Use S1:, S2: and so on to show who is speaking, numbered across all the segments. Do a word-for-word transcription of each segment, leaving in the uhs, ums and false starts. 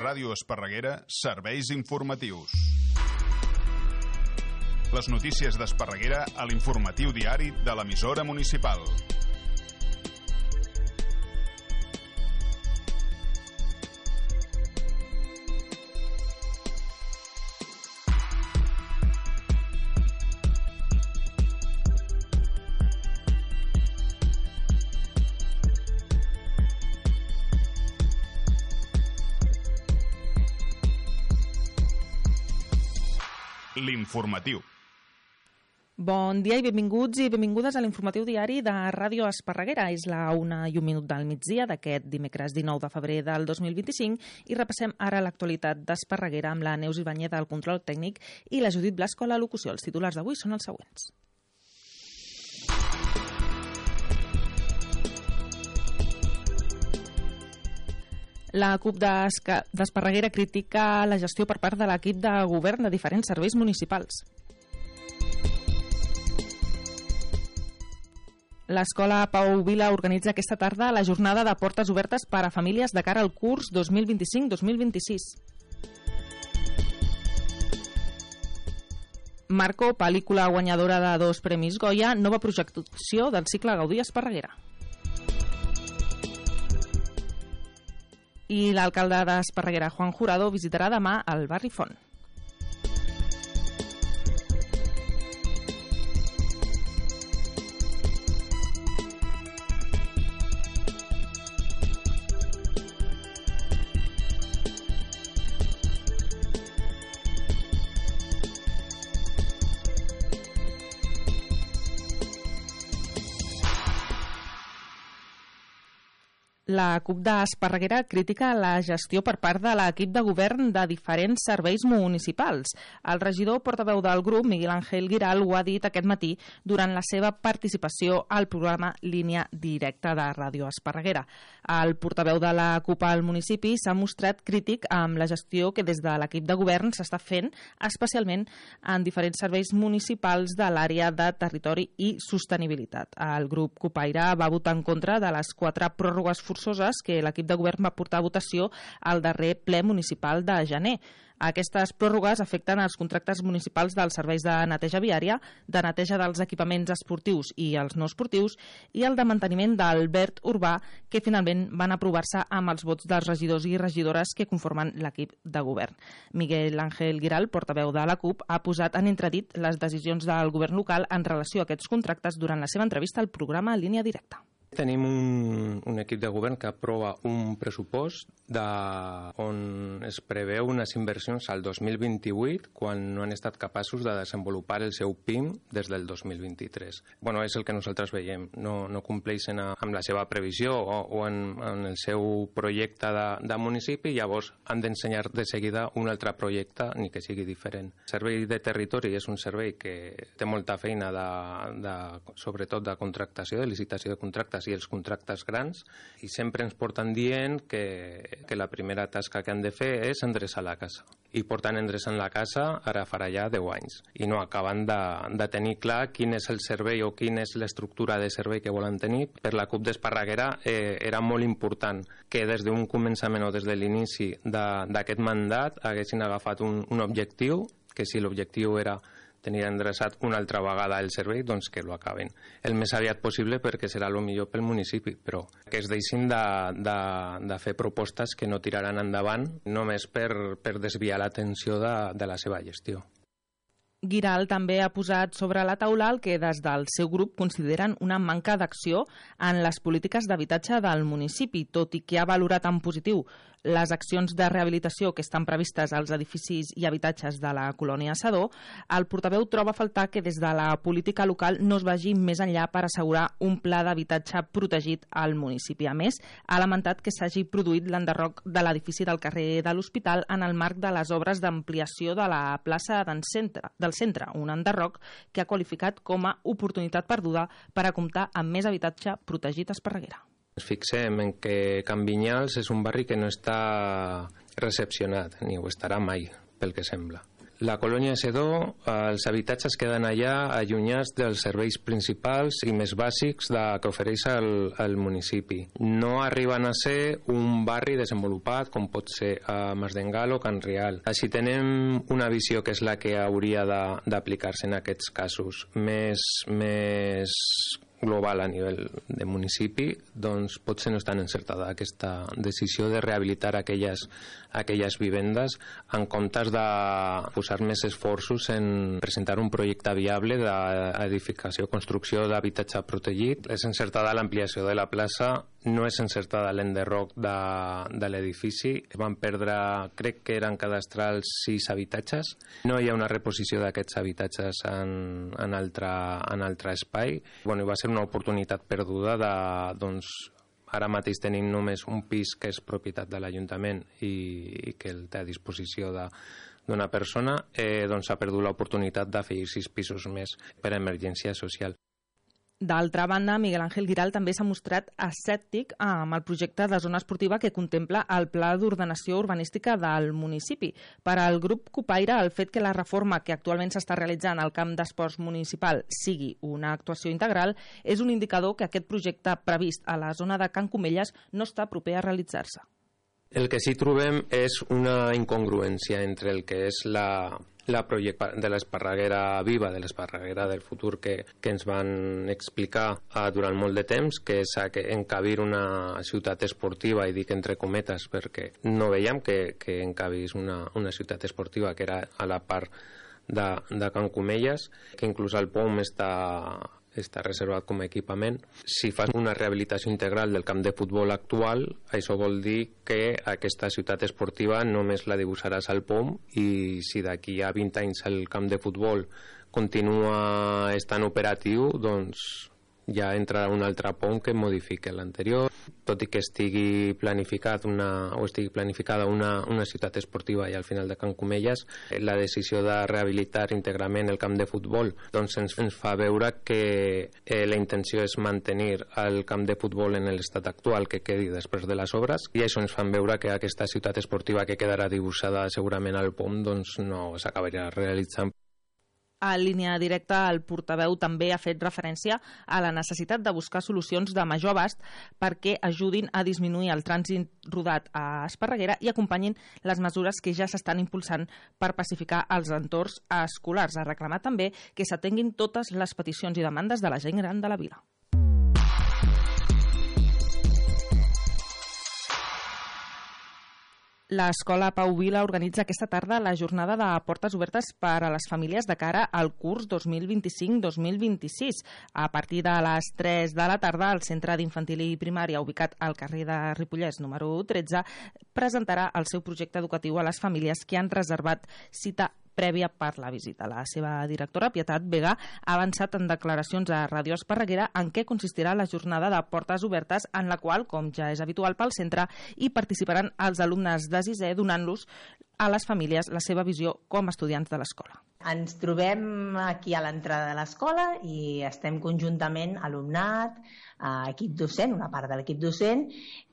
S1: Ràdio Esparreguera, serveis informatius. Les notícies d'Esparreguera a l'informatiu diari de l'emissora municipal. L'informatiu.
S2: Bon dia i benvinguts i benvingudes a l'informatiu diari de Ràdio Esparreguera. És la una i un minut del migdia d'aquest dimecres dinou de febrer del dos mil vint-i-cinc i repassem ara l'actualitat d'Esparreguera amb la Neus Ibáñez al control tècnic i la Judit Blasco a la locució. Els titulars d'avui són els següents. La CUP d'Esparreguera critica la gestió per part de l'equip de govern de diferents serveis municipals. L'Escola Pau Vila organitza aquesta tarda la jornada de portes obertes per a famílies de cara al curs dos mil vint-i-cinc dos mil vint-i-sis. Marco, pel·lícula guanyadora de dos premis Goya, nova projecció del cicle Gaudí Esparreguera. I l'alcalde d'Esparreguera, Juan Jurado, visitarà demà el barri Font. La CUP d'Esparreguera critica la gestió per part de l'equip de govern de diferents serveis municipals. El regidor portaveu del grup, Miguel Ángel Giral, ho ha dit aquest matí durant la seva participació al programa Línia Directa de Ràdio Esparreguera. El portaveu de la CUP al municipi s'ha mostrat crític amb la gestió que des de l'equip de govern s'està fent, especialment en diferents serveis municipals de l'àrea de territori i sostenibilitat. El grup CUPaire va votar en contra de les quatre pròrrogues forçoses que l'equip de govern va portar a votació al darrer ple municipal de gener. Aquestes pròrrogues afecten els contractes municipals dels serveis de neteja viària, de neteja dels equipaments esportius i els no esportius i el de manteniment del verd urbà, que finalment van aprovar-se amb els vots dels regidors i regidores que conformen l'equip de govern. Miguel Ángel Giral, portaveu de la CUP, ha posat en entredit les decisions del govern local en relació a aquests contractes durant la seva entrevista al programa Línia Directa.
S3: Tenim un, un equip de govern que aprova un pressupost de, on es preveu unes inversions al dos mil vint-i-vuit quan no han estat capaços de desenvolupar el seu P I M des del dos mil vint-i-tres. Bueno, és el que nosaltres veiem. No, no compleixen a, amb la seva previsió o, o en, en el seu projecte de, de municipi, llavors han d'ensenyar de seguida un altre projecte, ni que sigui diferent. El servei de territori és un servei que té molta feina, de, de, sobretot de contractació, de licitació de contractes i els contractes grans, i sempre ens porten dient que, que la primera tasca que han de fer és endreçar la casa. I portant endreçant la casa ara farà ja deu anys. I no acaben de, de tenir clar quin és el servei o quina és l'estructura de servei que volen tenir. Per la CUP d'Esparreguera eh, era molt important que des d'un començament o des de l'inici d'aquest mandat haguessin agafat un, un objectiu, que si l'objectiu era tenir endreçat una altra vegada el servei, doncs que lo acaben el més aviat possible, perquè serà el millor pel municipi, però que es deixin de, de, de fer propostes que no tiraran endavant només per, per desviar l'atenció de, de la seva gestió.
S2: Giral també ha posat sobre la taula el que des del seu grup consideren una manca d'acció en les polítiques d'habitatge del municipi, tot i que ha valorat en positiu les accions de rehabilitació que estan previstes als edificis i habitatges de la colònia Sadó. El portaveu troba a faltar que des de la política local no es vagi més enllà per assegurar un pla d'habitatge protegit al municipi. A més, ha lamentat que s'hagi produït l'enderroc de l'edifici del carrer de l'Hospital en el marc de les obres d'ampliació de la plaça del centre, del centre, un enderroc que ha qualificat com a oportunitat perduda per a comptar amb més habitatge protegit a Esparreguera.
S3: Ens fixem en que Can Vinyals és un barri que no està recepcionat, ni ho estarà mai, pel que sembla. La colònia Sedó, els habitatges queden allà allunyats dels serveis principals i més bàsics de, que ofereix el, el municipi. No arriben a ser un barri desenvolupat com pot ser a Masdengal o Can Rial. Així tenem una visió que és la que hauria d'aplicar-se en aquests casos. Més, més global a nivell de municipi, doncs potser no és tan encertada aquesta decisió de rehabilitar aquelles, aquelles vivendes en comptes de posar més esforços en presentar un projecte viable d'edificació, construcció d'habitatge protegit. És encertada l'ampliació de la plaça, no és encertada l'enderroc de, de l'edifici. Van perdre, crec que eren cadastrals sis habitatges. No hi ha una reposició d'aquests habitatges en, en, altre, en altre espai. Bueno, va ser una oportunitat perduda de, doncs, ara mateix tenim només un pis que és propietat de l'Ajuntament i, i que el té a disposició de, d'una persona, eh, doncs s'ha perdut l'oportunitat d'afegir sis pisos més per a emergència social.
S2: D'altra banda, Miguel Ángel Guiral també s'ha mostrat escèptic amb el projecte de zona esportiva que contempla el Pla d'Ordenació Urbanística del municipi. Per al grup Cupaire, el fet que la reforma que actualment s'està realitzant al camp d'esports municipal sigui una actuació integral és un indicador que aquest projecte previst a la zona de Can Comelles no està proper a realitzar-se.
S3: El que sí trobem és una incongruència entre el que és la... la projecte de l'Esparreguera viva, de l'Esparreguera del futur que, que ens van explicar uh, durant molt de temps, que és uh, que encabir una ciutat esportiva, i dic entre cometes perquè no veiem que, que encabís una, una ciutat esportiva que era a la part de, de Can Comelles, que inclús el P O M està està reservat com a equipament. Si fas una rehabilitació integral del camp de futbol actual, això vol dir que aquesta ciutat esportiva només la dibuixaràs al P O M, i si d'aquí a vint anys el camp de futbol continua estant operatiu, doncs ja entrarà un altre P O M que modifiqui l'anterior. Tot i que estigui planificat una, o estigui planificada una, una ciutat esportiva i al final de Can Comelles, la decisió de rehabilitar íntegrament el camp de futbol doncs ens, ens fa veure que eh, la intenció és mantenir el camp de futbol en l'estat actual que quedi després de les obres, i això ens fan veure que aquesta ciutat esportiva que quedarà dibuixada segurament al P O M doncs no s'acabarà realitzant.
S2: A línia directa, el portaveu també ha fet referència a la necessitat de buscar solucions de major abast perquè ajudin a disminuir el trànsit rodat a Esparreguera i acompanyin les mesures que ja s'estan impulsant per pacificar els entorns escolars. Ha reclamat també que s'atenguin totes les peticions i demandes de la gent gran de la vila. L'Escola Pau Vila organitza aquesta tarda la jornada de portes obertes per a les famílies de cara al curs dos mil vint-i-cinc dos mil vint-i-sis. A partir de les tres de la tarda, el Centre d'Infantil i Primària, ubicat al carrer de Ripollès número tretze, presentarà el seu projecte educatiu a les famílies que han reservat cita prèvia per la visita. La seva directora, Pietat Vega, ha avançat en declaracions a Ràdio Esparreguera en què consistirà la jornada de portes obertes, en la qual, com ja és habitual pel centre, hi participaran els alumnes de sisè, donant-los a les famílies la seva visió com a estudiants de l'escola.
S4: Ens trobem aquí a l'entrada de l'escola i estem conjuntament alumnat, equip docent, una part de l'equip docent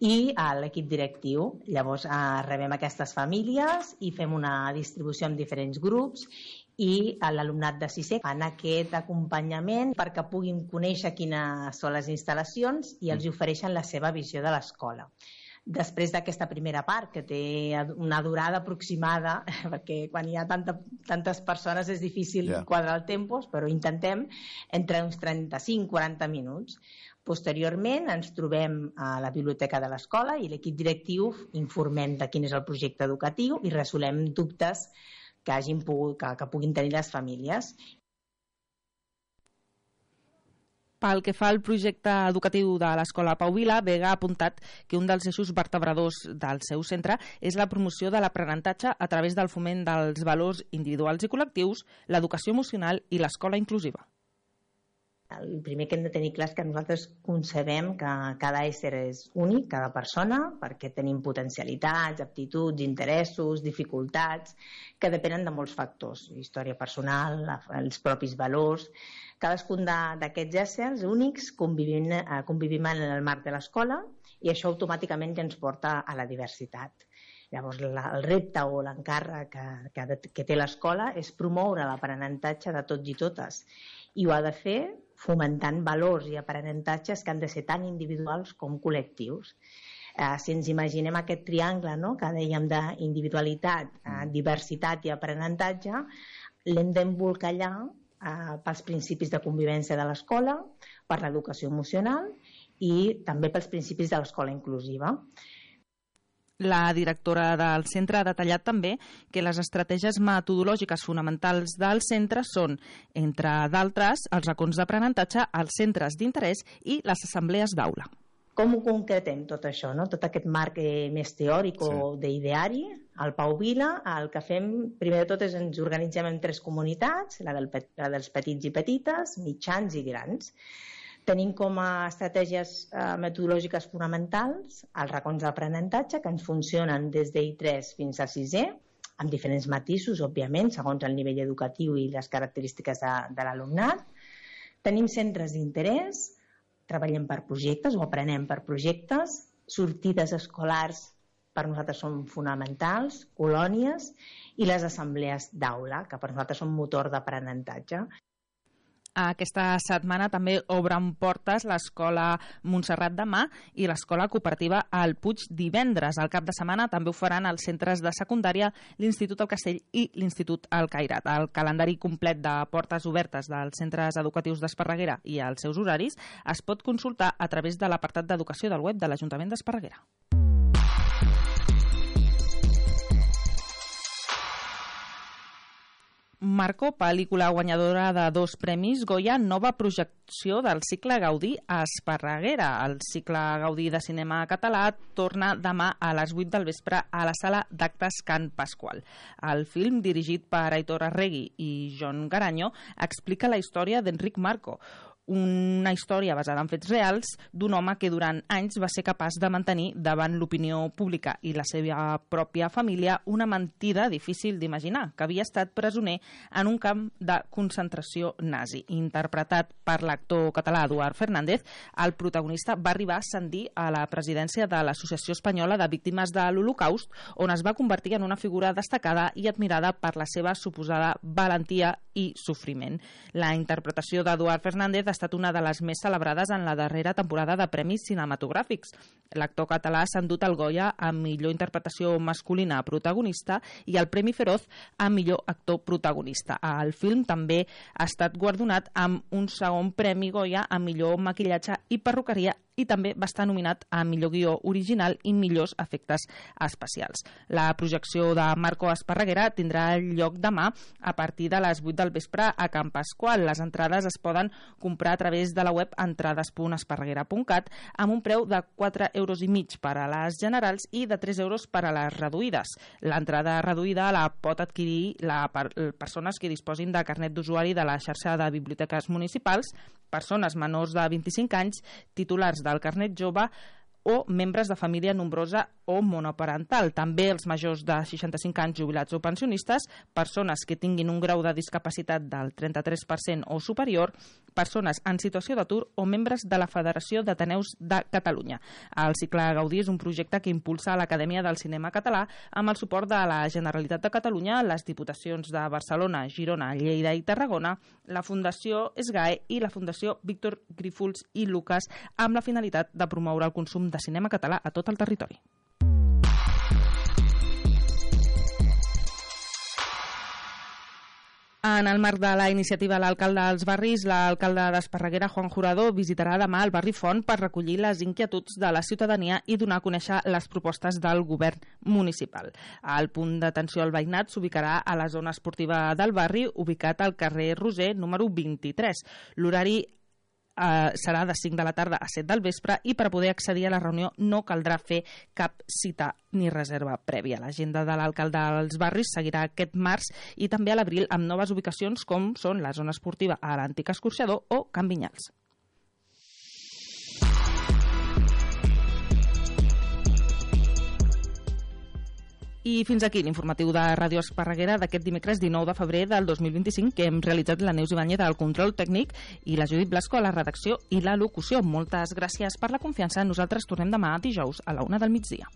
S4: i l'equip directiu. Llavors eh, rebem aquestes famílies i fem una distribució en diferents grups i l'alumnat de sisè fan aquest acompanyament perquè puguin conèixer quines són les instal·lacions i els ofereixen la seva visió de l'escola. Després d'aquesta primera part, que té una durada aproximada, perquè quan hi ha tanta, tantes persones és difícil yeah. quadrar el tempos, però intentem entre uns trenta-cinc a quaranta minuts. Posteriorment ens trobem a la biblioteca de l'escola i l'equip directiu informem de quin és el projecte educatiu i resolem dubtes que, hagin pogut, que, que puguin tenir les famílies.
S2: Pel que fa al projecte educatiu de l'Escola Pau Vila, Vega ha apuntat que un dels eixos vertebradors del seu centre és la promoció de l'aprenentatge a través del foment dels valors individuals i col·lectius, l'educació emocional i l'escola inclusiva.
S4: El primer que hem de tenir clar és que nosaltres concebem que cada ésser és únic, cada persona, perquè tenim potencialitats, aptituds, interessos, dificultats, que depenen de molts factors, història personal, els propis valors. Cadascun d'aquests éssers únics convivim, convivim en el marc de l'escola i això automàticament ja ens porta a la diversitat. Llavors, la, el repte o l'encàrrec que, que, que té l'escola és promoure l'aprenentatge de tots i totes, i ho ha de fer fomentant valors i aprenentatges que han de ser tan individuals com col·lectius. Eh, si ens imaginem aquest triangle, no?, que dèiem d'individualitat, eh, diversitat i aprenentatge, l'hem d'embolcallar eh, pels principis de convivència de l'escola, per l'educació emocional i també pels principis de l'escola inclusiva.
S2: La directora del centre ha detallat també que les estratègies metodològiques fonamentals del centre són, entre d'altres, els racons d'aprenentatge, els centres d'interès i les assemblees d'aula.
S4: Com ho concretem tot això, no? Tot aquest marc eh, més teòric o sí. d'ideari, al Pau Vila, el que fem, primer de tot, és ens organitzem en tres comunitats, la, del, la dels petits i petites, mitjans i grans. Tenim com a estratègies eh, metodològiques fonamentals els racons d'aprenentatge, que ens funcionen des d'I tres fins a sisè, amb diferents matisos, òbviament, segons el nivell educatiu i les característiques de, de l'alumnat. Tenim centres d'interès, treballem per projectes o aprenem per projectes, sortides escolars per nosaltres són fonamentals, colònies, i les assemblees d'aula, que per nosaltres són motor d'aprenentatge.
S2: Aquesta setmana també obren portes l'Escola Montserrat demà i l'Escola Cooperativa al Puig divendres. Al cap de setmana també ho faran els centres de secundària, l'Institut El Castell i l'Institut El Cairat. El calendari complet de portes obertes dels centres educatius d'Esparreguera i els seus horaris es pot consultar a través de l'apartat d'educació del web de l'Ajuntament d'Esparreguera. Marco, pel·lícula guanyadora de dos premis Goya, nova projecció del cicle Gaudí a Esparreguera. El cicle Gaudí de cinema català torna demà a les vuit del vespre a la sala d'actes Can Pasqual. El film, dirigit per Aitor Arregui i John Garanyo, explica la història d'Enric Marco, una història basada en fets reals d'un home que durant anys va ser capaç de mantenir davant l'opinió pública i la seva pròpia família una mentida difícil d'imaginar, que havia estat presoner en un camp de concentració nazi. Interpretat per l'actor català Eduard Fernández, el protagonista va arribar a ascendir a la presidència de l'Associació Espanyola de Víctimes de l'Holocaust, on es va convertir en una figura destacada i admirada per la seva suposada valentia i sofriment. La interpretació d'Eduard Fernández ha estat una de les més celebrades en la darrera temporada de premis cinematogràfics. L'actor català s'ha endut el Goya a millor interpretació masculina protagonista i el Premi Feroz a millor actor protagonista. El film també ha estat guardonat amb un segon Premi Goya a millor maquillatge i perruqueria i també va estar nominat a millor guió original i millors efectes especials. La projecció de Marco a Esparreguera tindrà lloc demà a partir de les vuit del vespre a Can Pasqual. Les entrades es poden comprar a través de la web entrades punt esparreguera punt cat amb un preu de quatre euros i mig per a les generals i de tres euros per a les reduïdes. L'entrada reduïda la pot adquirir la per, persones que disposin de carnet d'usuari de la xarxa de biblioteques municipals, persones menors de vint-i-cinc anys, titulars del carnet jove o membres de família nombrosa o monoparental. També els majors de seixanta-cinc anys jubilats o pensionistes, persones que tinguin un grau de discapacitat del trenta-tres per cent o superior, persones en situació d'atur o membres de la Federació d'Ateneus de Catalunya. El cicle Gaudí és un projecte que impulsa l'Acadèmia del Cinema Català amb el suport de la Generalitat de Catalunya, les Diputacions de Barcelona, Girona, Lleida i Tarragona, la Fundació SGAE i la Fundació Víctor Grífols i Lucas, amb la finalitat de promoure el consum de cinema català a tot el territori. En el marc de la iniciativa L'Alcalde dels Barris, l'alcalde d'Esparreguera, Juan Jurado, visitarà demà el barri Font per recollir les inquietuds de la ciutadania i donar a conèixer les propostes del govern municipal. El punt d'atenció al veïnat s'ubicarà a la zona esportiva del barri, ubicat al carrer Roser, número vint-i-tres. L'horari Uh, serà de cinc de la tarda a set del vespre i per a poder accedir a la reunió no caldrà fer cap cita ni reserva prèvia. L'agenda de l'alcalde dels barris seguirà aquest març i també a l'abril amb noves ubicacions com són la zona esportiva a l'antic escorxador o Can Vinyals. I fins aquí l'informatiu de Ràdio Esparreguera d'aquest dimecres dinou de febrer del dos mil vint-i-cinc, que hem realitzat la Neus Ibáñez al control tècnic i la Judit Blasco a la redacció i la locució. Moltes gràcies per la confiança. Nosaltres tornem demà dijous a la una del migdia.